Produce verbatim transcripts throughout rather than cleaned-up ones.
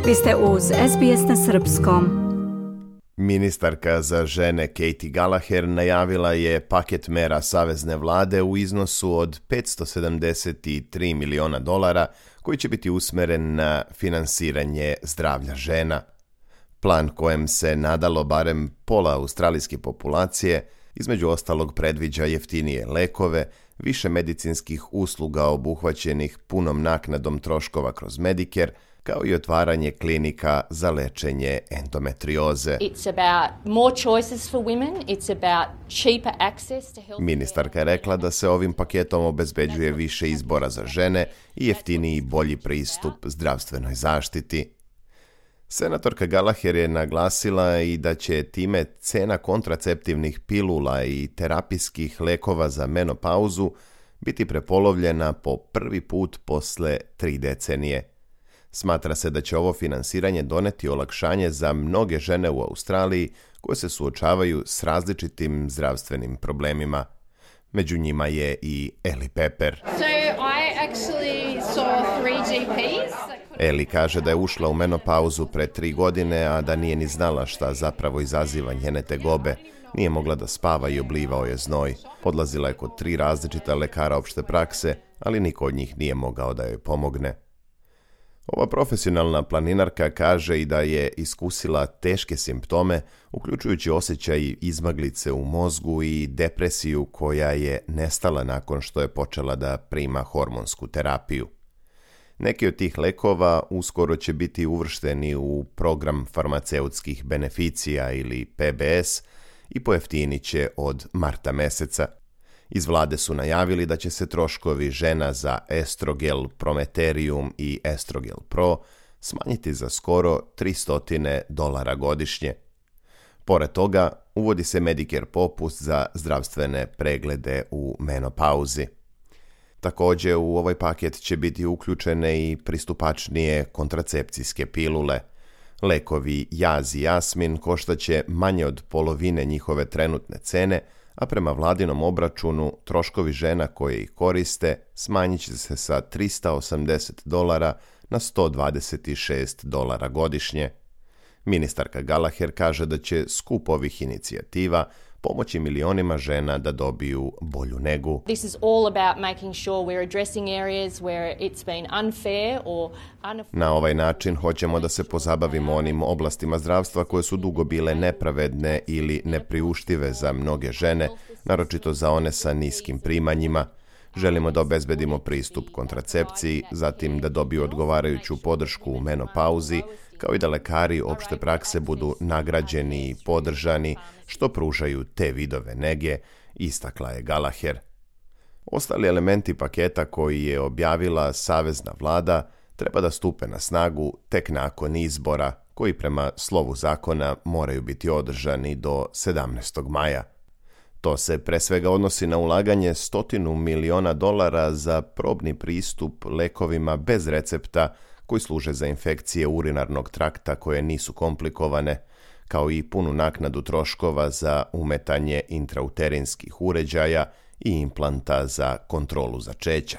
Vi ste uz S B S na srpskom. Ministarka za žene Katie Gallagher najavila je paket mera savezne vlade u iznosu od petsto sedamdeset tri miliona dolara koji će biti usmeren na finansiranje zdravlja žena. Plan kojem se nadalo barem pola australijske populacije između ostalog predviđa jeftinije lekove, više medicinskih usluga obuhvaćenih punom naknadom troškova kroz Medicare, kao i otvaranje klinika za lečenje endometrioze. Ministarka je rekla da se ovim paketom obezbeđuje više izbora za žene i jeftiniji i bolji pristup zdravstvenoj zaštiti. Senatorka Gallagher je naglasila i da će time cena kontraceptivnih pilula i terapijskih lekova za menopauzu biti prepolovljena po prvi put posle tri decenije. Smatra se da će ovo finansiranje doneti olakšanje za mnoge žene u Australiji koje se suočavaju s različitim zdravstvenim problemima. Među njima je i Ellie Pepper. So I actually saw three G Ps. Ellie kaže da je ušla u menopauzu pre tri godine, a da nije ni znala šta zapravo izaziva njene tegobe. Nije mogla da spava i oblivao je znoj. Odlazila je kod tri različita lekara opšte prakse, ali niko od njih nije mogao da joj pomogne. Ova profesionalna planinarka kaže i da je iskusila teške simptome, uključujući osjećaj izmaglice u mozgu i depresiju koja je nestala nakon što je počela da prima hormonsku terapiju. Neki od tih lekova uskoro će biti uvršteni u program farmaceutskih beneficija ili P B S i pojeftinit će od marta meseca. Iz vlade su najavili da će se troškovi žena za Estrogel Prometerium i Estrogel Pro smanjiti za skoro tristo dolara godišnje. Pored toga, uvodi se Medicare popust za zdravstvene preglede u menopauzi. Također, u ovaj paket će biti uključene i pristupačnije kontracepcijske pilule. Lekovi Jaz i Jasmin koštaće manje od polovine njihove trenutne cene, a prema vladinom obračunu troškovi žena koje ih koriste smanjit će se sa tristo osamdeset dolara na sto dvadeset šest dolara godišnje. Ministarka Gallagher kaže da će skup ovih inicijativa pomoći milionima žena da dobiju bolju negu. This is all about making sure we're addressing areas where it's been unfair or Na ovaj način hoćemo da se pozabavimo onim oblastima zdravstva koje su dugo bile nepravedne ili nepriuštive za mnoge žene, naročito za one sa niskim primanjima. Želimo da obezbedimo pristup kontracepciji, zatim da dobiju odgovarajuću podršku u menopauzi, kao i da lekari opšte prakse budu nagrađeni i podržani što pružaju te vidove nege, istakla je Gallagher. Ostali elementi paketa koji je objavila savezna vlada treba da stupe na snagu tek nakon izbora, koji prema slovu zakona moraju biti održani do sedamnaestog maja. To se pre svega odnosi na ulaganje stotinu miliona dolara za probni pristup lekovima bez recepta koji služe za infekcije urinarnog trakta koje nisu komplikovane, kao i punu naknadu troškova za umetanje intrauterinskih uređaja i implanta za kontrolu začeća.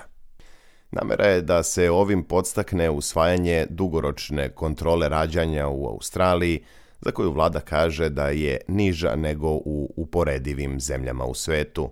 Namera je da se ovim podstakne usvajanje dugoročne kontrole rađanja u Australiji, za koju vlada kaže da je niža nego u uporedivim zemljama u svetu.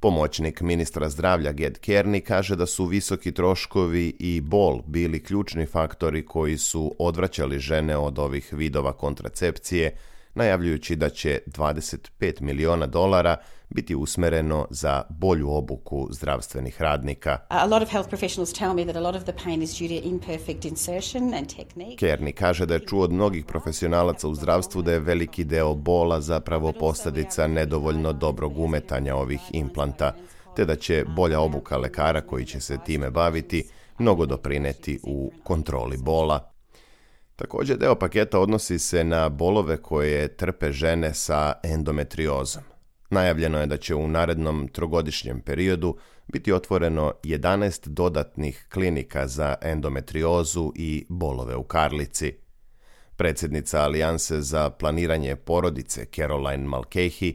Pomoćnik ministra zdravlja Ged Kearney kaže da su visoki troškovi i bol bili ključni faktori koji su odvraćali žene od ovih vidova kontracepcije, najavljujući da će dvadeset pet miliona dolara biti usmereno za bolju obuku zdravstvenih radnika. A lot of health professionals tell me that a lot of the pain is due to imperfect insertion and technique. Kearney kaže da je čuo od mnogih profesionalaca u zdravstvu da je veliki deo bola zapravo posljedica nedovoljno dobrog umetanja ovih implanta, te da će bolja obuka lekara koji će se time baviti mnogo doprineti u kontroli bola. Također deo paketa odnosi se na bolove koje trpe žene sa endometriozom. Najavljeno je da će u narednom trogodišnjem periodu biti otvoreno jedanaest dodatnih klinika za endometriozu i bolove u karlici. Predsjednica Alijanse za planiranje porodice Caroline Mulcahy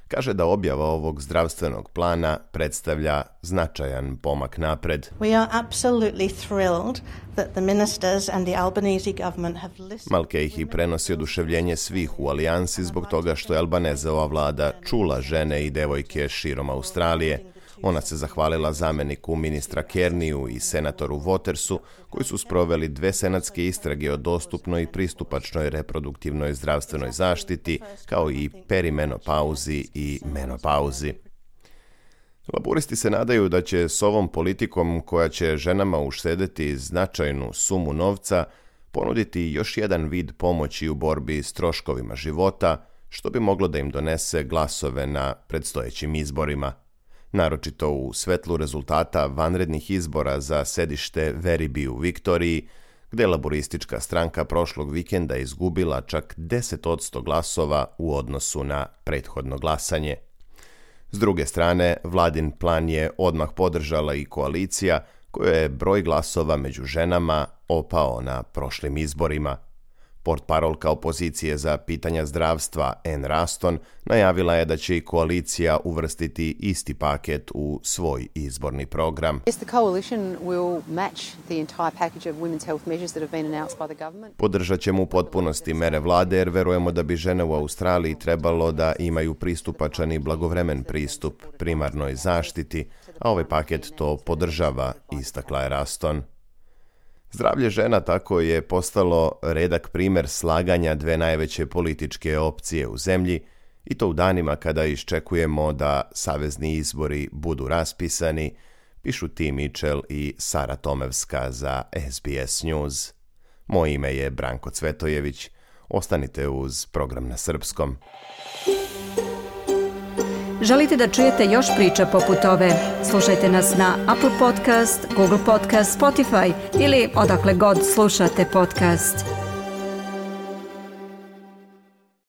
kaže da objava ovog zdravstvenog plana predstavlja značajan pomak napred. We are absolutely thrilled that the ministers and the Albanese government have listened. Mulcahy prenosi oduševljenje svih u alijansi zbog toga što je Albanezova vlada čula žene i devojke širom Australije. Ona se zahvalila zameniku ministra Kearneyu i senatoru Watersu, koji su sproveli dve senatske istrage o dostupnoj i pristupačnoj reproduktivnoj zdravstvenoj zaštiti, kao i perimenopauzi i menopauzi. Laburisti se nadaju da će s ovom politikom, koja će ženama uštedeti značajnu sumu novca, ponuditi još jedan vid pomoći u borbi s troškovima života, što bi moglo da im donese glasove na predstojećim izborima. Naročito u svetlu rezultata vanrednih izbora za sedište Werribee u Viktoriji, gde je laboristička stranka prošlog vikenda izgubila čak deset posto glasova u odnosu na prethodno glasanje. S druge strane, vladin plan je odmah podržala i koalicija, kojoj je broj glasova među ženama opao na prošlim izborima. Portparolka opozicije za pitanja zdravstva Anne Ruston najavila je da će i koalicija uvrstiti isti paket u svoj izborni program. Podržat ćemo u potpunosti mere vlade jer verujemo da bi žene u Australiji trebalo da imaju pristupačan i blagovremen pristup primarnoj zaštiti, a ovaj paket to podržava, istakla je Ruston. Zdravlje žena tako je postalo redak primer slaganja dve najveće političke opcije u zemlji, i to u danima kada iščekujemo da savezni izbori budu raspisani, pišu Tim Mitchell i Sara Tomevska za S B S News. Moje ime je Branko Cvetojević. Ostanite uz program na srpskom. Želite da čujete još priča poput ove? Slušajte nas na Apple Podcast, Google Podcast, Spotify ili odakle god slušate podcast.